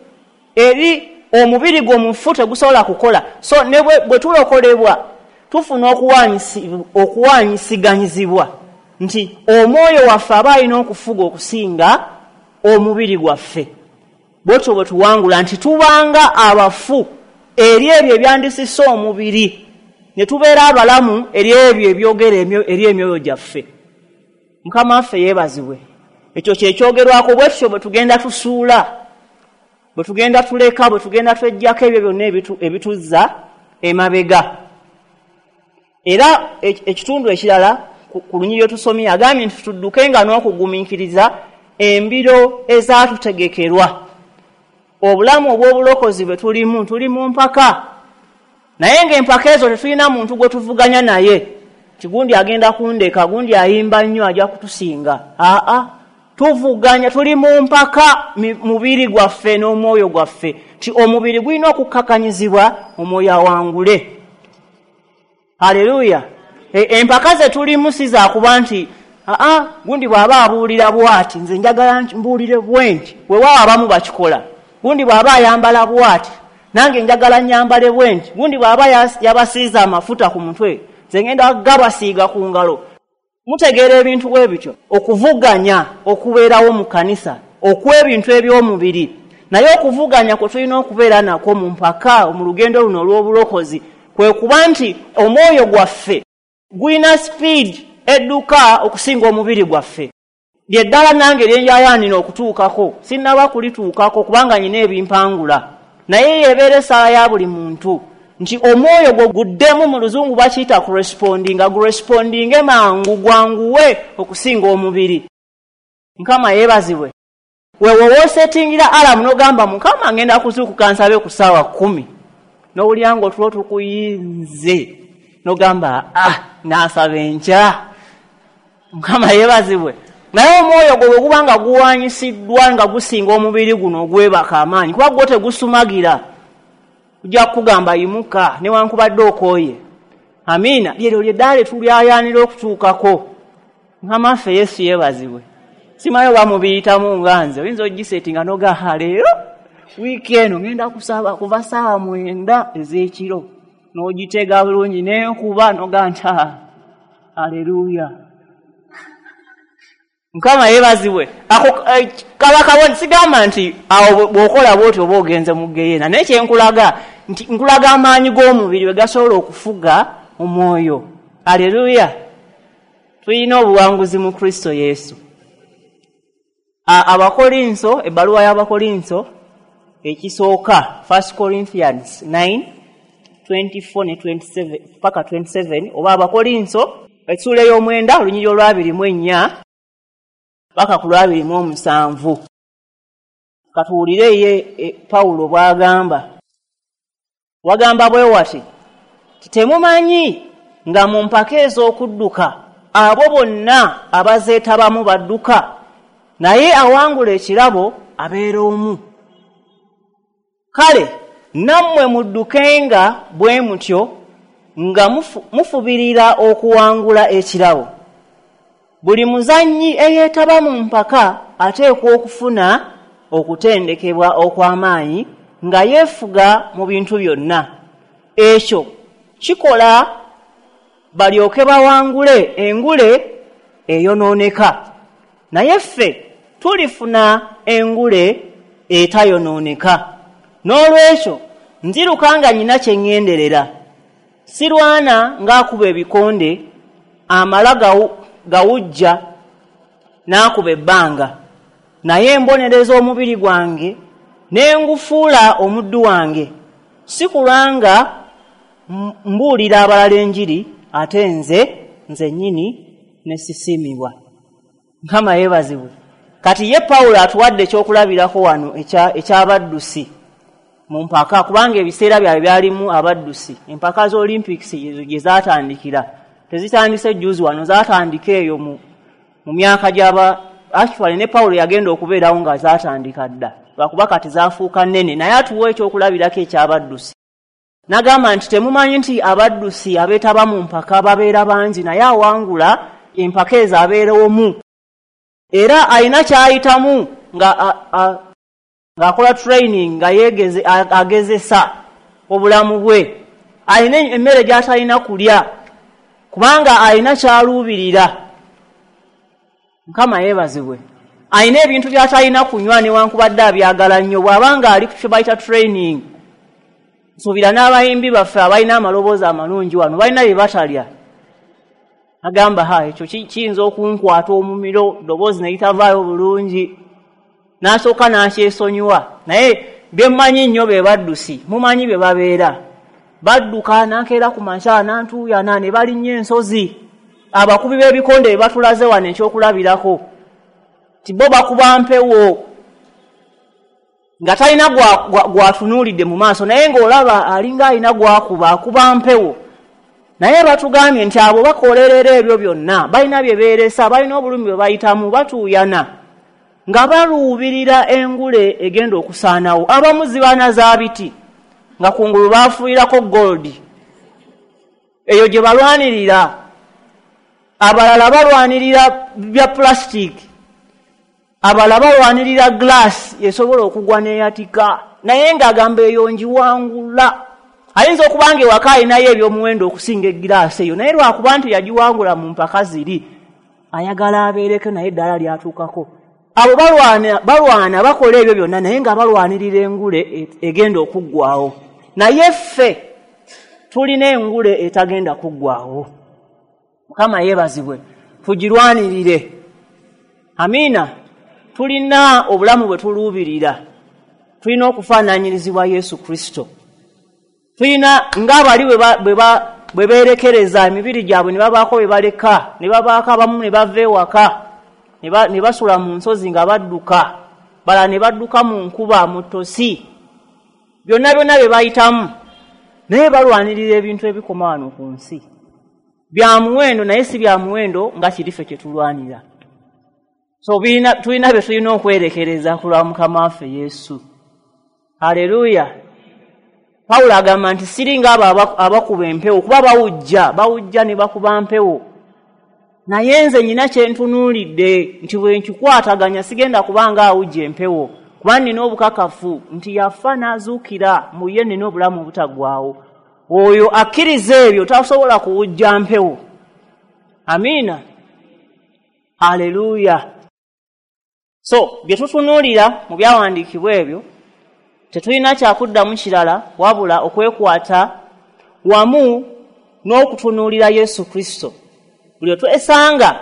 Speaker 1: eri omubiri gwo, mufu, tegusobola kukola. So ne bwe tulokolebwa, tufuna okuwanyisiganyizibwa nti omwoyo waffe aba alina okufuga okusinga omubiri gwaffe. Bwetyo bwe tuwangula, nti tubanga abafu eri ebyo ebyandisise omubiri, ne tubeera abalamu eri ebyo ebyogera eri emyoyo gyaffe. Mukama waffe yeebazibwe. Ekyo kyekyogerwako. Bwe tutyo bwe tugenda tusuula, bwe tugenda tuleka, bwe tugenda tweggyako ebyo byonna ebituzza emabega. Era ekitundu ekirala ku lunyiriri tusomye, agambye nti tuddukenga n'okugumiikiriza embiro ezaatutegekerwa. Obulamu obw'obulokozi bwe tulimu, tuli mu mpaka, naye ng'empaka ezo tetulina muntu gwe tuvuganya naye nti gundi agenda kundeka, gundi ayimba nnyo, ajja kutusinga. Aa, tuvuganya, tuli mu mpaka mubiri gwaffe n'omwoyo gwaffe, nti omubiri gulina okukkakanyizibwa, omwoyo awangule. Haleluya! Empaka ze tulimu si zakuba nti aa, gundi bw'aba abuulira bw'ati, nze njagala mbuulire bwe nti. Weewaawo, abamu bakikola. Gundi bw'aba ayambala bw'ati, nange njagala nyambale bwe nti. Gundi bw'aba yabasiiza amafuta ku mutwe, nze ngenda gabasiiga ku ngalo. Mutegeera ebintu bwe bityo, okuvuganya okubeerawo mu kanisa okw'ebintu eby'omubiri. Naye okuvuganya kwe tulina okubeera nakwo mu mpaka mu lugendo luno olw'obulokozi kwe kuba nti omwoyo gwaffe gulina speed edduka okusinga omubiri gwaffe. Lyeddala nange lyenjayaanira okutuukako, sinnaba kulituukako kubanga nyina ebimpangula, naye yebeera essaala ya buli muntu nti omwoyo gwo guddemu, mu Luzungu bakiyita kurespondinga, gurespondinge mangu, gwanguwe okusinga omubiri. Mukama yeebazibwe. Wewe woosetingira alarm n'ogamba, "Mukama, ngenda kuzuukuka nsabe ku ssaawa 10," N'owulira ng'otulo tukuyinze, n'ogamba naasaba enkya. Mukama yeebazibwe. Naye omwoyo gwo bwe guba nga guwanyisiddwa nga gusinga omubiri guno ogwebaka amaanyi, kuba gwo tegusumagira, gujja kukugamba yimuka newankubadde okooye. Amiina. Lyeryo lyeddaala tulyayaanira okutuukako. Mukama waffe Yesu yeebazibwe. Simanyi oba mubiyitamu nga nze, oyinza ogisetinga n'ogaa leero wiiki eno ngenda kusaba kuva 9:00 ez'ekiro, n'ogiteega bulungi n'enkuba n'ogaa nti aleluya. Mukama yeebazibwe. Ako kaba kabonero. Sigamba nti awo bw'okola bw'otyo oba ogenze mu ggeyeena, naye kye nkulaga nti nkulaga amaanyi g'omubiri we gasobola okufuga omwoyo. Aleluya. Tulina obuwanguzi mu Kristo Yesu. Abakolinso, ebbaluwa y'Abakolinso ekisooka, 1 Corinthians 9:24 ne 27 paka 27, oba Abakolinso essuula ey'omwenda olunyiriri olwa24 paka ku lwa27. Katuwulire ye Pawulo bw'agamba. Wagamba bwe wati, temumanyi nga mu mpaka ez'okudduka abo bonna abazeetabamu badduka, naye awangula ekirabo abeera omu. Kale nammwe muddukenga bwe mutyo nga mufubirira okuwangula ekirabo. Buli muzannyi eyeetaba mu mpaka ateekwa okufuna okutendekebwa okw'amaanyi nga yeefuga mu bintu byonna. Ekyo kikola balyoke bawangule engule eyonooneka, naye ffe tulifuna engule etayonooneka. N'olwekyo nziruka nga nnyina kye ŋŋenderera, sirwana ng'akuba ebikonde amala gawujja n'akuba ebbanga, naye mbonereza omubiri gwange ne ngufuula omuddu wange, si kulwanga mbuulira abalala enjiri, ate nze nnyini ne sisiimibwa. Mukama yeebazibwe. Kati ye Pawulo atuwadde ekyokulabirako wano eky'abaddusi mu mpaka, kubanga ebiseera byabwe byalimu abaddusi. Empaka za Olympics gye zaatandikira tezitandise jjuuzi wano, zaatandika eyo mu myaka gy'aba actually ne Pawulo yagenda okubeerawo nga zaatandika dda, lwakuba kati zaafuuka nnene. Naye atuwa ekyokulabirako eky'abaddusi. N'agamba nti temumanyi nti abaddusi abeetaba mu mpaka babeera bangi, naye awangula empaka ezo abeera omu. Era alina ky'ayitamu ng'akola training, nga agezesa obulamu bwe. Alina emmere gy'atalina kulya kubanga alina ky'aluubirira. Mukama yeebazibwe. Alina ebintu by'atalina kunywa newankubadde abyagala nnyo, bw'abanga ali ku kye bayita training. Nsuubira n'abayimbi baffe abalina amaloboozi amalungi wano balina bye batalya. Agamba ekyo kiyinza okunkwata omumiro, ddoboozi ne litavaayo bulungi, n'asooka n'akyesonyiwa. Naye bye mmanyi nnyo be baddusi, mumanyi bye babeera badduka, n'akeera ku makya n'antuuyana ne balinnya ensozi. Abakubi b'ebikonde be batulaze wano ekyokulabirako ti bo bakuba mpewo nga talina gwatunuulidde mu maaso, naye ng'olaba alinga alina gwakuba, akuba mpewo. Naye batugambye nti abo bakolerera ebyo byonna, balina bye beeresa, balina obulumi bwe bayitamu, batuuyana nga baluubirira engule egenda okusaanawo. Abamu zibaana za biti nga kungulu baafuuyirako gold, eyo gye balwanirira. Abalala balwanirira bya plastic, abalala balwanirira glass esobola okugwa n'eyatika, naye ng'agamba eyo ngiwangula. Ayinza okuba nga ewaka alinayo ebyomuwendo okusinga egiraasi eyo, naye lwakuba nti yagiwangula mu mpaka ziri, ayagala abeereko naye eddala lyatuukako. Abo balwana bakola ebyo byonna, naye nga balwanirira engule egenda okuggwawo. Naye ffe tulina engule etagenda kuggwawo. Mukama yeebazibwe. Tugirwanirire. Amiina. Tulina obulamu bwe tuluubirira, tulina okufaananyirizibwa Yesu Kristo. Tulina ng'abali bwe beerekereza emibiri gyabwe ne babaako bye baleka, ne babaako abamu ne bava ewaka ne basula mu nsozi nga badduka, balala ne badduka mu nkuba, mu ttosi, byonna byonna bye bayitamu. Naye balwanirira ebintu ebikoma wano ku nsi. Bya muwendo naye si bya muwendo nga kirife kye tulwanira. So tulina bye tulina okwerekereza ku lwa Mukama waffe Yesu. Haleluya. Pawulo agamba nti siringa abo abakuba empewo, kuba bawujja ne bakuba mpewo. Naye nze nnina kye ntunuulidde nti bwe nkikwataganya sigenda kubanga awujja empewo, kuba nnina obukakafu nti yafa n'azuukira, mu ye nnina obulamu obutaggwaawo. Oyo akkiriza ebyo tasobola kuwujja mpewo. Amiina. Haleluya. So bye tutunuulira mu byawandiikibwa ebyo tetulina kyakuddamu kirala wabula okwekwata wamu n'okutunuulira Yesu Kristo. Buli twesanga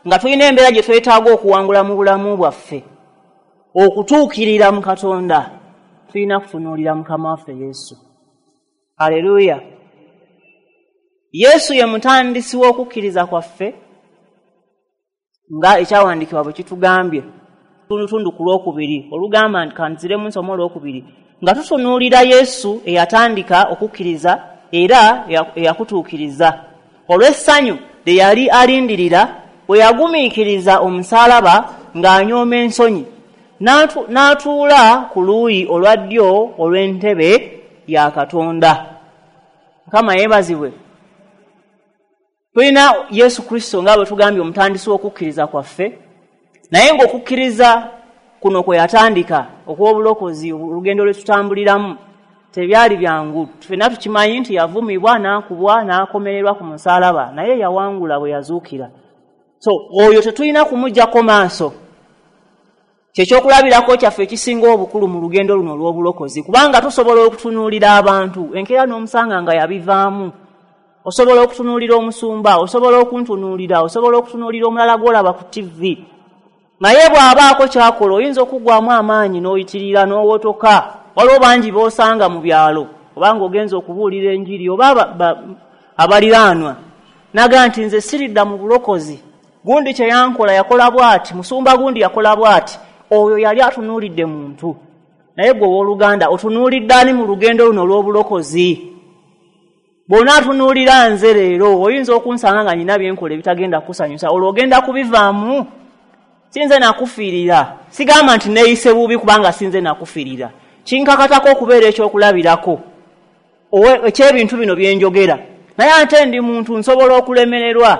Speaker 1: nga tulina embeera gye twetaaga okuwangula mu bulamu bwaffe, okutuukirira mu Katonda, tulina kutunuulira Mukama waffe Yesu. Haleluya. Yesu ye mutandisi w'okukkiriza kwaffe nga ekyawandiikibwa bwe kitugambye. Tundutundu ku lwokubiri olugamba nti kanziremu nsoma olwokubiri, nga tutunuulira Yesu eyatandika okukkiriza era eyakutuukiriza olw'essanyu lye yali alindirira bwe yagumiikiriza omusaalaba ng'anyooma ensonyi, n'atuula ku luuyi olwa ddyo olw'entebe ya Katonda. Mukama yeebazibwe. Tulina Yesu Kristo nga bwe tugambye omutandisi w'okukkiriza kwaffe, naye ng'okukkiriza kuno kwe yatandika okw'obulokozi, olugendo lwe tutambuliramu tebyali byangu. Ffenna tukimanyi nti yavumibwa, n'akubwa, n'akomererwa ku musaalaba, naye yawangula bwe yazuukira. So oyo tetulina kumuggyako maaso. Kyekyokulabirako kyaffe ekisinga obukulu mu lugendo luno olw'obulokozi, kubanga tusobola okutunuulira abantu enkeera n'omusanga nga yabivaamu. Osobola okutunuulira omusumba, osobola okuntunuulira, osobola okutunuulira omulala gw'olaba ku TV. Naye bw'abaako ky'akola oyinza okuggwamu amaanyi n'oyitirira n'owotoka. Waliwo bangi b'osanga mu byalo obanga ogenza okubuulira enjiri oba abaliraanwa, naga nti nze siridda mu bulokozi, gundi kye yankola yakola bw'ati, musumba gundi yakola bw'ati. Oyo yali atunuulidde muntu. Naye gwe owooluganda otunuulidde ani mu lugendo luno olw'obulokozi? Bw'onaatunuulira nze leero oyinza okunsanga nga nnina bye nkola ebitagenda kukusanyusa, olwo ogenda kubivaamu. Sinze nakufiirira. Sigamba nti neeyise bubi kubanga sinze nakufiirira. Kinkakatako okubeera ekyokulabirako eky'ebintu bino bye njogera. Naye ate ndi muntu nsobola okulemererwa.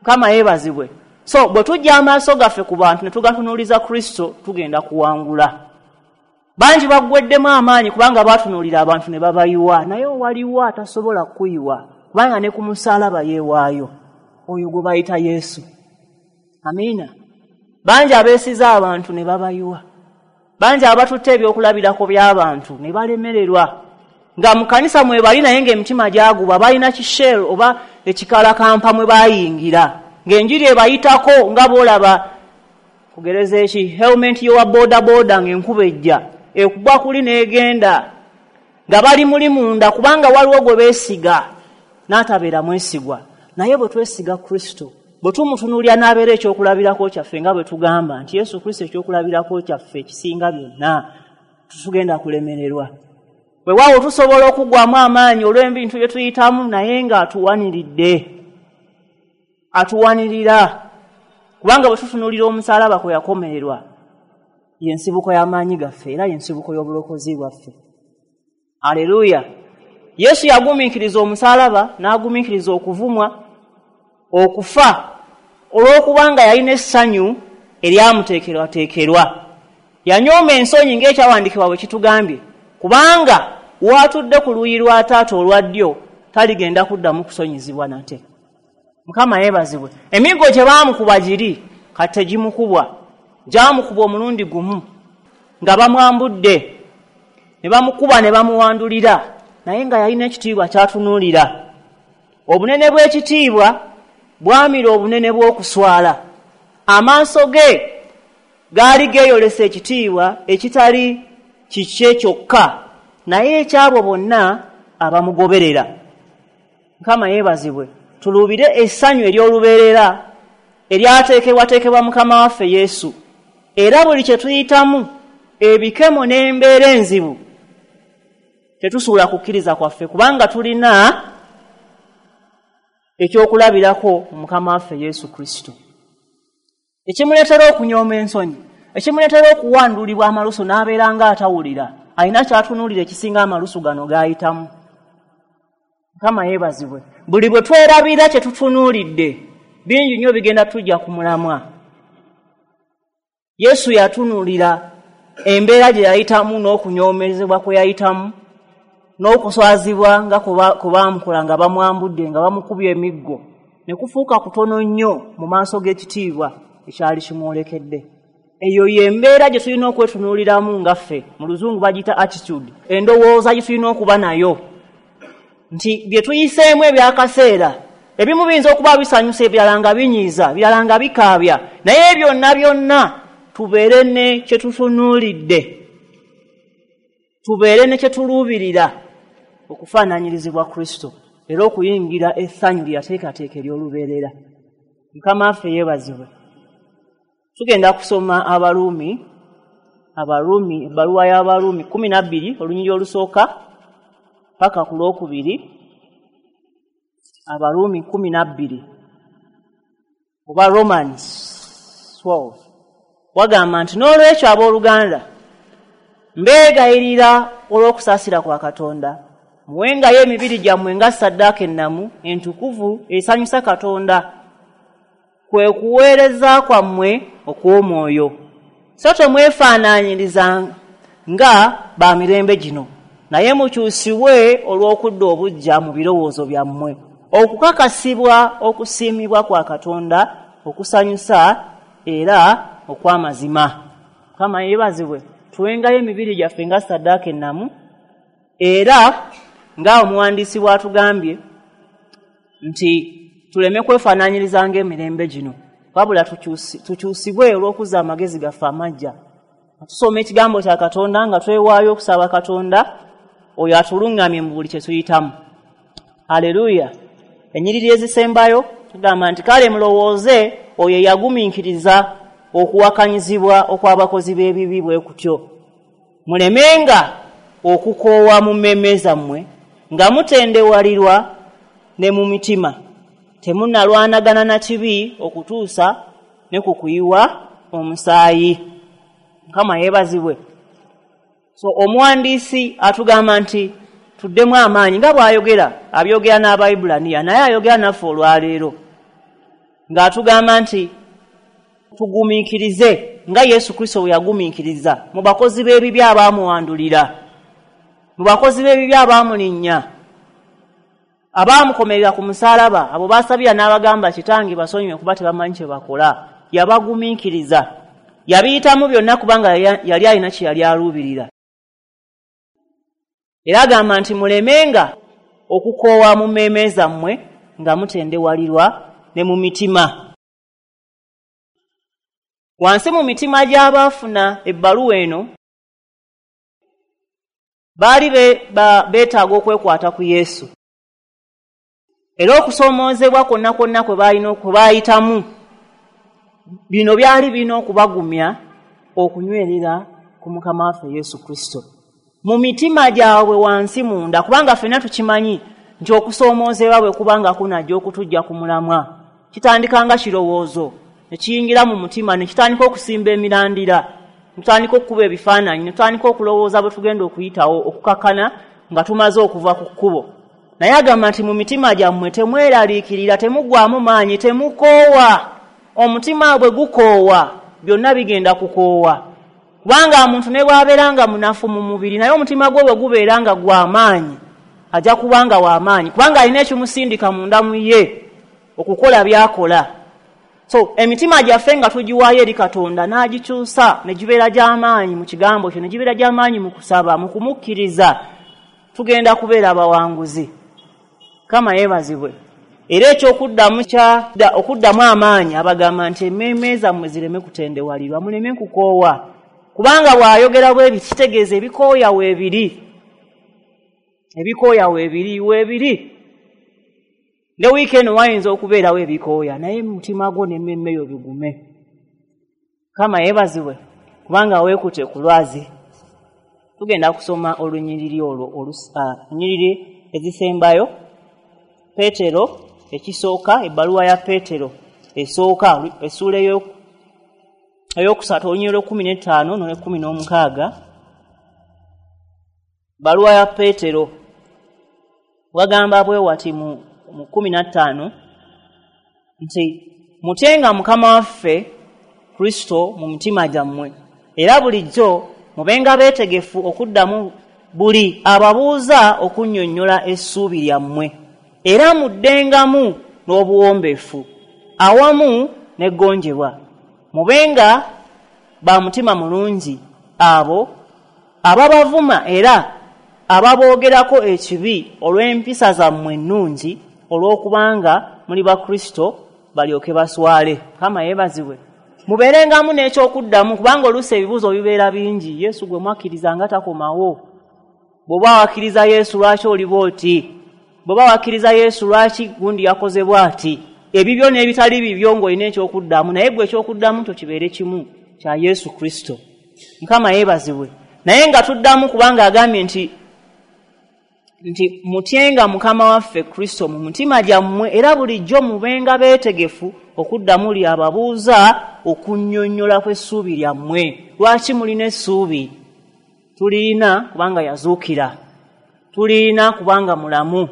Speaker 1: Mukama yeebazibwe. So bwe tujja amaaso gaffe ku bantu ne tugatunuuliza Kristo, tugenda kuwangula. Bangi baggweddemu amaanyi kubanga baatunuulira abantu ne babayiwa, naye waliwo atasobola kuyiwa kubanga ne ku musaalaba yeewaayo, oyo gwe bayita Yesu. Amiina. Bangi abeesiza abantu ne babayiwa, bangi abatutte ebyokulabirako by'abantu ne balemererwa, nga mu kanisa mwe bali naye ng'emitima gyaguba, balina kishell oba ekikalakampa mwe bayingira, ng'enjiri ebayitako nga bw'olaba kugereza eki helmet y'owa bodaboda ng'enkuba ejja ekuba kuli n'egenda, nga bali muli munda kubanga waliwo gwe beesiga n'atabeera mwesigwa. Naye bwe twesiga Kristo, bwe tumutunuulira n'abeera ekyokulabirako kyaffe, nga bwe tugamba nti Yesu Kristo ekyokulabirako kyaffe ekisinga byonna, tetugenda kulemererwa. Weewaawo tusobola okuggwamu amaanyi olw'ebintu bye tuyitamu, naye ng'atuwaniridde, atuwanirira, kubanga bwe tutunuulira omusaalaba kwe yakomererwa, y'ensibuko y'amaanyi gaffe era y'ensibuko y'obulokozi bwaffe. Aleluya. Yesu yagumiikiriza omusaalaba, n'agumiikiriza okuvumwa, okufa, olw'okubanga yalina essanyu eryamuteekerwateekerwa. Yanyooma ensonyi ng'ekyawandiikibwa bwe kitugambye, kubanga w'atudde ku luuyi lwa taata olwa ddyo taligenda kuddamu kusonyizibwa nate. Mukama yeebazibwe. Emiggo gye baamukuba giri kati tegimukubwa, gyamukuba omulundi gumu nga bamwambudde ne bamukuba ne bamuwandulira, naye nga yalina ekitiibwa ky'atunuulira. Obunene bw'ekitiibwa bwamira obunene bw'okuswala. Amaaso ge gaali geeyolesa ekitiibwa ekitali kikye kyokka, naye ekyabo bonna abamugoberera. Mukama yeebazibwe. Tuluubire essanyu ery'olubeerera eryateekebwateekebwa Mukama waffe Yesu, era buli kye tuyitamu, ebikemo n'embeera enzibu, Tetusuula kukkiriza kwaffe, kubanga tulina ekyokulabirako Mukama waffe Yesu Kristo, ekimuleetera okunyooma ensonyi, ekimuleetera okuwandulibwa amalusu n'abeera ng'atawulira, alina ky'atunuulira ekisinga amalusu gano g'ayitamu. Mukama yeebazibwe. Buli bwe twerabira kye tutunuulidde, bingi nnyo bigenda tujja ku mulamwa. Yesu yatunuulira embeera gye yayitamu n'okunyoomezebwa kwe yayitamu n'okuswazibwa nga kwe baamukola nga bamwambudde, nga bamukubye emiggo, ne kufuuka kutono nnyo mu maaso g'ekitiibwa ekyali kimwolekedde. Eyo y'embeera gye tulina okwetunuuliramu nga ffe, mu Luzungu bagiyita attitude, endowooza gye tulina okuba nayo nti bye tuyiseemu ebyakaseera ebimu biyinza okuba bisanyusa, ebirala nga binyiiza, ebirala nga bikaabya, naye byonna byonna tubeere ne kye tutunuulidde, tubeere ne kye tuluubirira, okufaananyirizibwa Kristo era okuyingira essanyu lye yateekateeka ery'olubeerera. Mukama waffe yeebazibwe. Tugenda kusoma Abaruumi, Abaruumi, ebbaluwa y'Abaruumi 12 olunyiriri olusooka paka ku lwokubiri. Abaruumi 12 oba Romans 12 wagamba nti, n'olwekyo abooluganda, mbeegayirira olw'okusaasira kwa Katonda, muwengayo emibiri gyammwe nga ssaddaaka ennamu entukuvu esanyusa Katonda, kwe kuweereza kwammwe okw'omwoyo. So temwefaanaanyiriza nga ba mirembe gino, naye mukyusibwe olw'okudda obuggya mu birowoozo byammwe, okukakasibwa okusiimibwa kwa Katonda okusanyusa era okw'amazima. Mukama yeebazibwe. Tuwengayo emibiri gyaffe nga ssaddaaka ennamu, era nga omuwandiisi bw'atugambye nti tuleme kwefaanaanyiriza ng'emirembe gino, wabula tukyusibwe olw'okuzza amagezi gaffe amajja. Tusoma ekigambo kya Katonda nga twewaayo okusaba Katonda oyo atuluŋŋamye mu buli kye tuyitamu. Haleluya. Ennyiriri ezisembayo tugamba nti, kale mulowooze oyo eyagumiikiriza okuwakanyizibwa okw'abakozi b'ebibi bwe kutyo, mulemenga okukoowa mu mmeeme zammwe nga mutendewalirwa ne mu mitima, temunnalwanagana na kibi okutuusa ne ku kuyiwa omusaayi. Mukama yeebazibwe. So omuwandiisi atugamba nti tuddemu amaanyi, nga bw'ayogera, abyogera n'Abayibulaniya, naye ayogera naffe olwaleero ng'atugamba nti tugumiikirize nga Yesu Kristo bwe yagumiikiriza mu bakozi b'ebibi abaamuwandulira, mu bakozi b'ebibi abaamulinnya, abaamukomerera ku musaalaba, abo baasabira n'abagamba, Kitange basonyiwe kuba tebamanyi kye bakola. Yabagumiikiriza, yabiyitamu byonna kubanga yali alina kye yali aluubirira. Era agamba nti mulemenga okukoowa mu mmeeme zammwe nga mutendewalirwa ne mu mitima. Wansi mu mitima gy'abaafuna ebbaluwa eno baali beetaaga okwekwata ku Yesu, era okusoomoozebwa kwonna kwonna kwe balina kwe baayitamu, bino byali birina okubagumya okunywerera ku Mukama waffe Yesu Kristo mu mitima gyabwe wansi munda, kubanga ffenna tukimanyi nti okusoomoozebwa bwe kubanga kunajja okutujja ku mulamwa, kitandika nga kirowoozo ne kiyingira mu mutima, ne kitandika okusimba emirandira, ne tutandika okukuba ebifaananyi, ne tutandika okulowooza bwe tugenda okuyitawo okukakkana nga tumaze okuva ku kkubo. Naye agamba nti mu mitima gyammwe temweraliikirira, temuggwamu maanyi, temukoowa. Omutima bwe gukoowa byonna bigenda kukoowa, kubanga omuntu ne bw'abeera nga munafu mu mubiri, naye omutima gwe bwe gubeera nga gw'amaanyi, ajja kuba nga w'amaanyi, kubanga alina ekimusindika munda mu ye okukola by'akola. So emitima gyaffe nga tugiwaayo eri Katonda n'agikyusa ne gibeera gy'amaanyi mu kigambo kye, ne gibeera gy'amaanyi mu kusaba, mu kumukkiriza, tugenda kubeera abawanguzi. Mukama yeebazibwe. Era ekyokuddamu okuddamu amaanyi abagamba nti emmeeme zammwe zireme kutendewalirwa, muleme kukoowa, kubanga bw'ayogera bwe kitegeeza ebikooya weebiri, ebikooya weebiri, weebiri. Ne wiiki eno wayinza okubeerawo ebikooya, naye mutima gwo n'emmeeme yo bigume. Mukama yeebazibwe, kubanga weekute ku lwazi. Tugenda kusoma olunyiriri olwo, olunyiriri ezisembayo. Peetero ekisooka, ebbaluwa ya Peetero esooka, essuula 3, olunyiriri 15 n'olw'16. Bbaluwa ya Peetero wagamba bwe wati mu 15 nti mutyenga Mukama waffe Kristo mu mitima gyammwe, era bulijjo mubenga beetegefu okuddamu buli ababuuza okunnyonnyola essuubi lyammwe, era muddengamu n'obuwombeefu awamu n'eggonjebwa. Mubenga ba mutima mulungi abo ababavuma era ababoogerako ekibi olw'empisa zammwe ennungi, olw'okubanga muli ba Kristo balyoke baswale. Mukama yeebazibwe. Mubeerengamu n'ekyokuddamu, kubanga oluusi ebibuuzo bibeera bingi. Yesu gwe mwakkiriza nga takomawo. Bw'oba wakkiriza Yesu lwaki oli bw'oti? Bw'oba wakkiriza Yesu lwaki gundi yakoze bw'ati? Ebibyo n'ebitali bibyo ng'olina ekyokuddamu, naye gwe ekyokuddamu kyo kibeere kimu kya Yesu Kristo. Mukama yeebazibwe. Naye nga tuddamu kubanga agambye nti mutyenga Mukama waffe Kristo mu mutima gyammwe, era bulijjo mubenga beetegefu okuddamu li ababuuza okunnyonnyola kw'essuubi lyammwe. Lwaki mulina essuubi? Tulina kubanga yazuukira, tulina kubanga mulamu,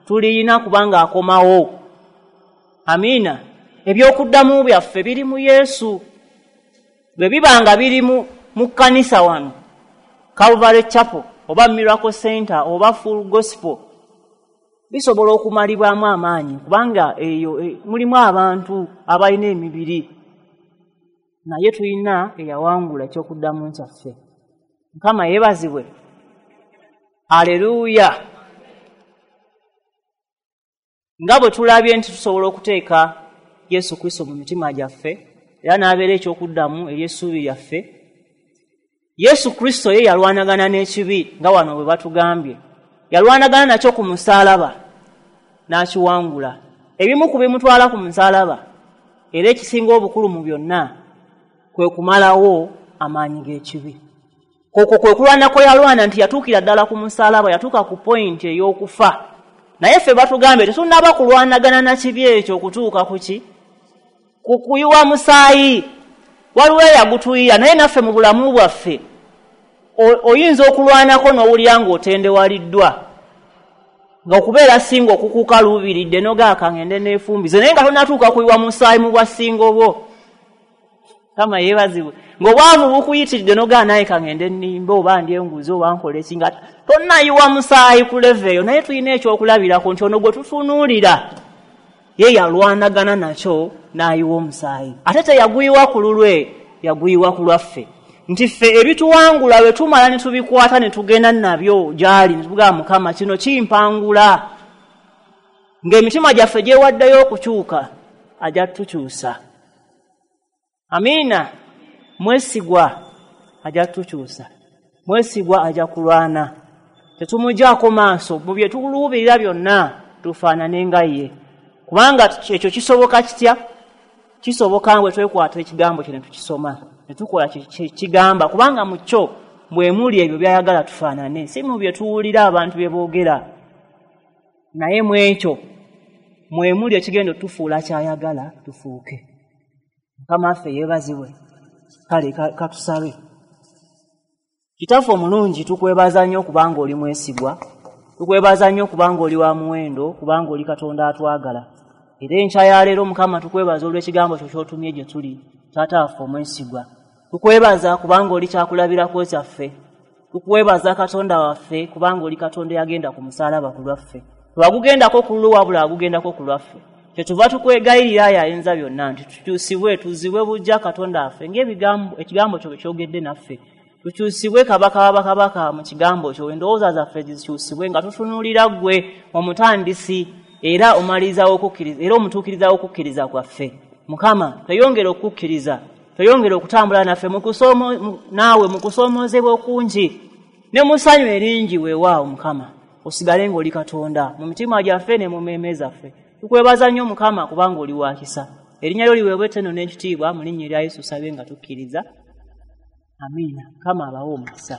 Speaker 1: tulina kubanga akomawo. Amiina. Ebyokuddamu byaffe biri mu Yesu. Bwe bibanga biri mu kkanisa wano, Calvary Chapel oba Miracle Center oba Full Gospel, bisobola okumalibwamu amaanyi, kubanga eyo mulimu abantu abalina emibiri, naye tulina eyawangula ekyokuddamu kyaffe. Mukama yeebazibwe. Aleluya. Nga bwe tulabye nti tusobola okuteeka Yesu Kristo mu mitima gyaffe era n'abeera ekyokuddamu ery'essuubi lyaffe. Yesu Kristo ye yalwanagana n'ekibi, nga wano bwe batugambye. Yalwanagana nakyo ku musaalaba n'akiwangula. Ebimu ku bimutwala ku musaalaba, era ekisinga obukulu mu byonna, kwe kumalawo amaanyi g'ekibi. Okwo kwe kulwana kwe yalwana, nti yatuukira ddala ku musaalaba, yatuuka ku pointi ey'okufa. Naye ffe batugambye tetunnaba kulwanagana na kibi ekyo okutuuka ku ki? Ku kuyiwa musaayi. Waliwo eyagutuyira, naye naffe mu bulamu bwaffe oyinza okulwanako n'owulira ng'otendewaliddwa, ng'okubeera singa okukukaluubiridde n'ogaaka ngende neefumbize, naye nga tonnatuuka kuyiwa musaayi mu bwa singo bwo. Mukama yeebazibwe. Ng'obwavu bukuyitiridde n'ogaa naye kangende nnimbe oba ndye enguzi oba nkole ki, nga tonnayiwa musaayi ku level eyo. Naye tulina ekyokulabirako nti ono gwe tutunuulira ye yalwanagana nakyo n'ayiwa omusaayi. Ate teyaguyiwa ku lulwe, yaguyiwa ku lwaffe. Nti ffe ebituwangula bwe tumala ne tubikwata ne tugenda nabyo gy'ali, ne tugamba Mukama kino kimpangula. Ng'emitima gyaffe gyewaddeyo okukyuka, ajja tukyusa. Amiina. Mwesigwa ajja tukyusa, mwesigwa ajja kulwana. Tetumugyako maaso mu bye tuluubirira byonna, tufaanane nga ye. Kubanga ekyo kisoboka kitya? Kisoboka bwe twekwata ekigambo kye ne tukisoma, ne tukola kye kigamba, kubanga mu kyo mwe muli ebyo by'ayagala tufaanane, si mu bye tuwulira abantu bye boogera, naye mu ekyo mwe muli ekigenda otufuula ky'ayagala tufuuke. Mukama waffe yeebazibwe. Kale katusabe. Kitaffe omulungi, tukwebaza nnyo kubanga oli mwesigwa, tukwebaza nnyo kubanga oli wa muwendo, kubanga oli Katonda atwagala. Era enkya ya leero Mukama tukwebaza olw'ekigambo kyo ky'otumye gye tuli, Taata waffe omwesigwa. Tukwebaza kubanga oli kyakulabirako kyaffe. Tukwebaza Katonda waffe kubanga oli Katonda eyagenda ku musaalaba ku lwaffe. Tewagugendako ku lulwo, wabula agugendako ku lwaffe. Kyetuva tukwegayirira ayi ayinza byonna nti tukyusibwe, tuzibwe buggya Katonda waffe ng'ekigambo kyo bwe kyogedde naffe. Tukyusibwe Kabaka w'abakabaka mu kigambo kyo, endowooza zaffe zikyusibwe nga tutunuulira ggwe omutandisi era omaliriza w'okukkiriza, era omutuukiriza w'okukkiriza kwaffe. Mukama, tweyongere okukkiriza, tweyongere okutambula naffe naawe mu kusoomoozebwa okungi ne mu ssanyu eringi. Weewaawo Mukama, osigale ng'oli Katonda mu mitima gyaffe ne mu mmeeme zaffe. Tukwebaza nnyo Mukama kubanga oli wa kisa. Erinnya lyo liweebwe ettendo n'ekitiibwa, mu linnya erya Yesu sabe nga tukkiriza. Amiina. Mukama abawe omukisa.